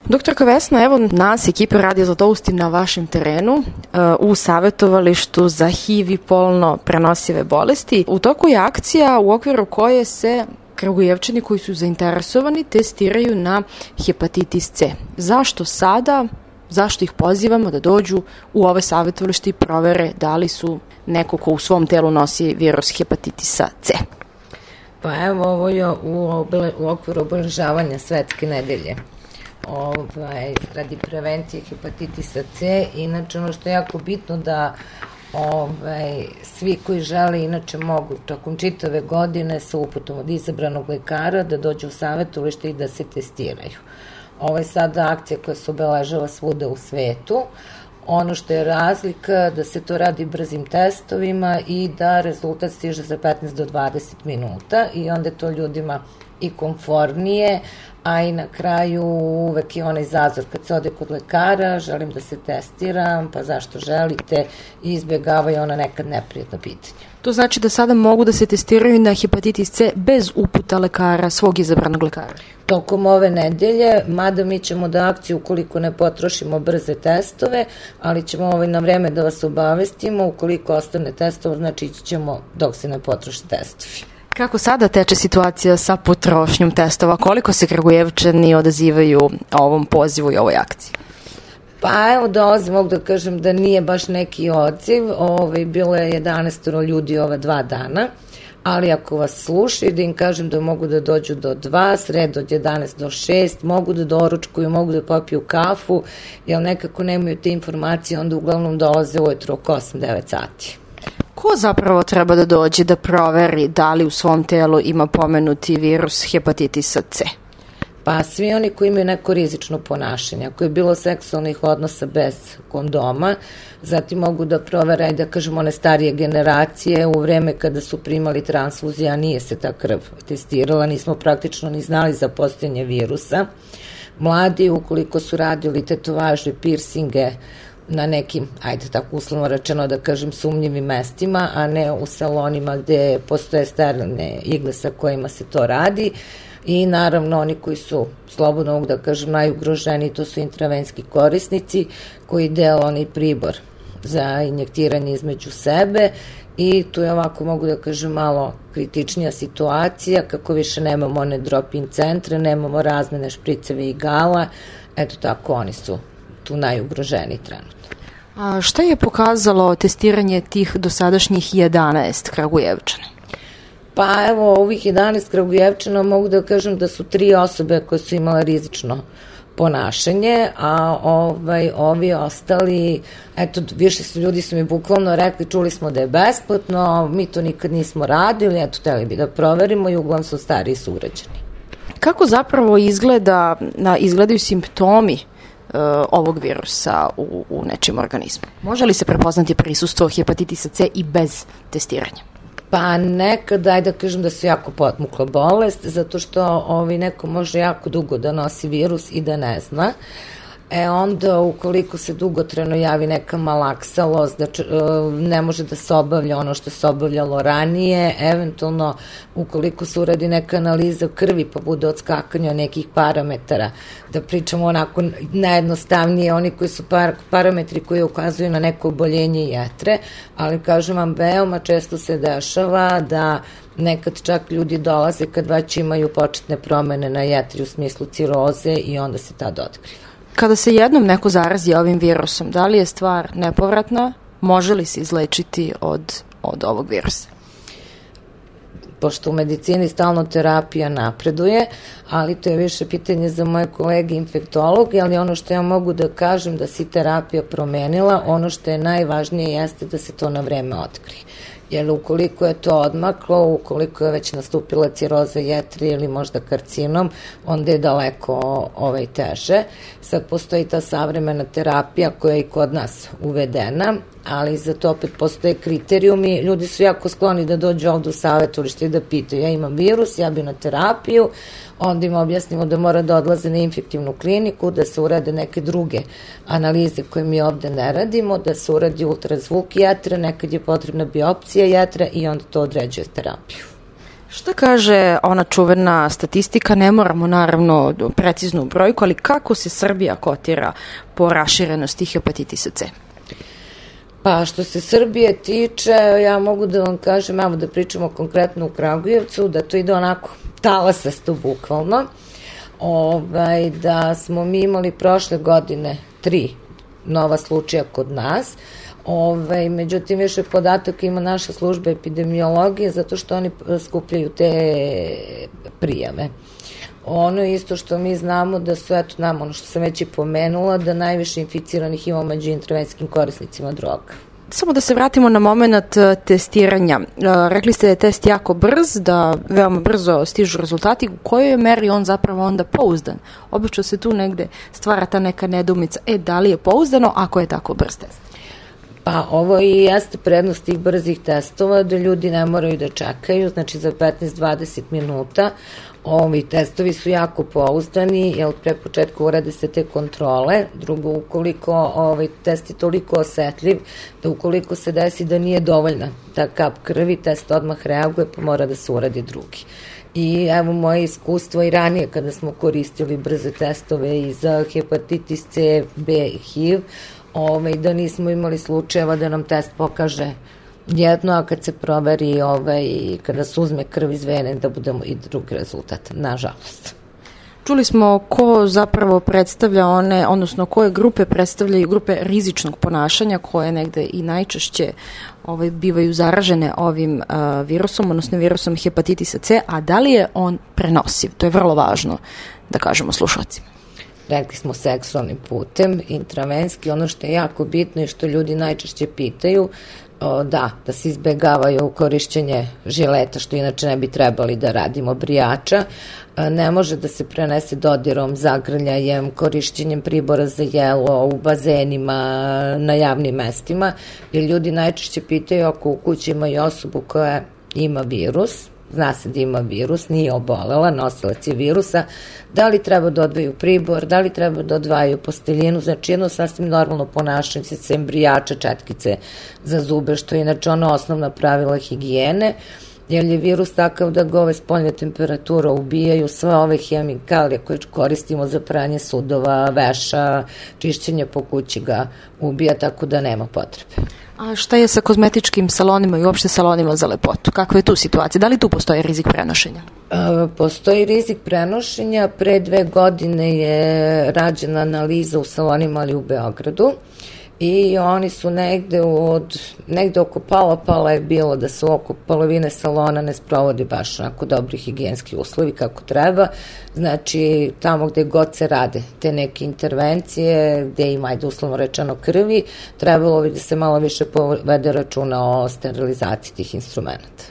Doktorka Vesna, evo nas, ekipe Radio Zlatoustin na vašem terenu u savjetovalištu za HIV i polno prenosive bolesti. U toku je akcija u okviru koje se Kragujevčani koji su zainteresovani testiraju na hepatitis C. Zašto sada? Zašto ih pozivamo da dođu u ove savjetovalište i provere da li su neko ko u svom telu nosi virus hepatitisa C? Pa evo, ovo je u okviru obeležavanja Svetske nedelje radi prevencije hepatitisa C. Inače, ono što je jako bitno da svi koji žele, inače mogu tokom čitave godine sa uputom od izabranog lekara da dođu u savjetovalište i da se testiraju. Ovo je sada akcija koja se obeležava svuda u svetu. Ono što je razlika da se to radi brzim testovima i da rezultat stiže za 15 do 20 minuta i onda je to ljudima i komfornije, a i na kraju uvek je onaj zazor kad se ode kod lekara, želim da se testiram, pa zašto želite, i izbjegavaju ona nekad neprijatna pitanja. To znači da sada mogu da se testiraju na hepatitis C bez uputa lekara, svog izabranog lekara? Tokom ove nedelje, mada mi ćemo da akciju ukoliko ne potrošimo brze testove, ali ćemo na vreme da vas obavestimo, ukoliko ostane testova, znači ići ćemo dok se ne potroše testovi. Kako sada teče situacija sa potrošnjom testova? Koliko se Kragujevčani odazivaju ovom pozivu i ovoj akciji? Pa evo mogu da kažem da nije baš neki odziv, bilo je 11 ljudi ova 2 dana, ali ako vas slušaju da im kažem da mogu da dođu do 2, sredo od 11 do 6, mogu da doručkuju, mogu da popiju kafu, jer nekako nemaju te informacije, onda uglavnom dolaze ujutro oko 8-9 sati. Ko zapravo treba da dođe da proveri da li u svom telu ima pomenuti virus hepatitisa C? Pa svi oni koji imaju neko rizično ponašanje, ako je bilo seksualnih odnosa bez kondoma, zatim mogu da provere, da kažemo, one starije generacije u vreme kada su primali transfuzije, a nije se ta krv testirala, nismo praktično ni znali za postojanje virusa. Mladi, ukoliko su radili tetovaže, pirsinge, na nekim, tako uslovno rečeno da kažem, sumnjivim mestima, a ne u salonima gde postoje sterilne igle sa kojima se to radi. I naravno oni koji su, slobodno mogu da kažem, najugroženiji, to su intravenski korisnici koji dele onaj pribor za injektiranje između sebe, i tu je ovako, mogu da kažem, malo kritičnija situacija, kako više nemamo one drop-in centre, nemamo razmene špriceve i igala, eto tako, oni su tu najugroženiji trenutno. A šta je pokazalo testiranje tih dosadašnjih 11 Kragujevčana? Pa evo, ovih 11 Kragujevčana mogu da kažem da su 3 osobe koje su imale rizično ponašanje, a ovi ostali, eto, više ljudi su mi bukvalno rekli, čuli smo da je besplatno, mi to nikad nismo radili, eto, hteli bi da proverimo, i uglavnom su stariji sugrađani. Kako zapravo izgledaju simptomi ovog virusa u nečijem organizmu? Može li se prepoznati prisustvo hepatitisa C i bez testiranja? Pa nekad, da kažem da su jako potmukla bolest, zato što neko može jako dugo da nosi virus i da ne zna. Onda ukoliko se dugotrajno javi neka malaksalost, ne može da se obavlja ono što se obavljalo ranije, eventualno ukoliko se uradi neka analiza krvi pa bude odskakanja nekih parametara, da pričamo onako najjednostavnije, oni koji su parametri koji ukazuju na neko oboljenje jetre, ali kažem vam, veoma često se dešava da nekad čak ljudi dolaze kad već imaju početne promene na jetri u smislu ciroze i onda se tad otkriva. Kada se jednom neko zarazi ovim virusom, da li je stvar nepovratna? Može li se izlečiti od ovog virusa? Pošto u medicini stalno terapija napreduje, ali to je više pitanje za moje kolege infektologe, ali ono što ja mogu da kažem da se terapija promenila, ono što je najvažnije jeste da se to na vreme otkrije. Jer ukoliko je to odmaklo, ukoliko je već nastupila ciroza jetre ili možda karcinom, onda je daleko teže. Sad postoji ta savremena terapija koja je i kod nas uvedena, ali za to opet postoje kriterijumi. Ljudi su jako skloni da dođu ovde u savjetovalište i da pitaju, ja imam virus, ja bi na terapiju, onda im objasnimo da mora da odlaze na infektivnu kliniku, da se urade neke druge analize koje mi ovde ne radimo, da se uradi ultrazvuk jetre, nekad je potrebna biopsija jetre i onda to određuje terapiju. Šta kaže ona čuvena statistika, ne moramo naravno preciznu brojku, ali kako se Srbija kotira po raširenosti hepatitisa C? Pa što se Srbije tiče, ja mogu da vam kažem, evo da pričamo konkretno u Kragujevcu, da to ide onako talasasto bukvalno, da smo mi imali prošle godine 3 nova slučaja kod nas, međutim više podatak ima naša služba epidemiologije zato što oni skupljaju te prijave. Ono isto što mi znamo da su, eto nam, ono što sam već i pomenula, da najviše inficiranih ima među intervencijskim korisnicima droga. Samo da se vratimo na moment testiranja. Rekli ste da je test jako brz, da veoma brzo stižu rezultati. U kojoj meri on zapravo onda pouzdan? Obično se tu negde stvara ta neka nedoumica. Da li je pouzdano ako je tako brz test? Pa ovo i jeste prednost tih brzih testova, da ljudi ne moraju da čekaju, znači za 15-20 minuta. Ovi testovi su jako pouzdani, jer pre početka urade se te kontrole. Drugo, ukoliko test je toliko osetljiv, da ukoliko se desi da nije dovoljna ta kap krvi, test odmah reaguje, pa mora da se uradi drugi. I evo moje iskustvo i ranije kada smo koristili brze testove i za hepatitis C, B i HIV, da nismo imali slučajeva da nam test pokaže jedno, a kad se proveri kada se uzme krv iz vene da budemo i drugi rezultat, nažalost. Čuli smo ko zapravo predstavlja odnosno koje grupe predstavljaju grupe rizičnog ponašanja koje negde i najčešće bivaju zaražene ovim virusom, odnosno virusom hepatitisa C, a da li je on prenosiv? To je vrlo važno da kažemo slušalcima. Rekli smo seksualnim putem, intravenski, ono što je jako bitno i što ljudi najčešće pitaju, da se izbegavaju korišćenje žileta, što inače ne bi trebali da radimo, brijača, ne može da se prenese dodirom, zagrljajem, korišćenjem pribora za jelo, u bazenima, na javnim mestima, jer ljudi najčešće pitaju ako u kući imaju osobu koja ima virus, zna se da ima virus, nije obolela, nosilac je virusa, da li treba da odvaju pribor, da li treba da odvajaju posteljinu, znači jedno sasvim normalno ponašanje, sem brijača, četkice za zube, što je inače ono osnovna pravila higijene, jer je virus takav da ga ove spoljne temperatura ubijaju, sve ove hemikalije koje koristimo za pranje sudova, veša, čišćenje po kući ga ubija, tako da nema potrebe. A šta je sa kozmetičkim salonima i uopšte salonima za lepotu? Kakva je tu situacija? Da li tu postoji rizik prenošenja? Postoji rizik prenošenja. Pre 2 godine je rađena analiza u salonima, ali u Beogradu, i oni su negde oko pola je bilo da se oko polovine salona ne sprovodi baš onako dobri higijenski uslovi kako treba, znači tamo gde god se rade te neke intervencije, gde ima, uslovno rečeno, krvi, trebalo bi da se malo više povede računa o sterilizaciji tih instrumenta.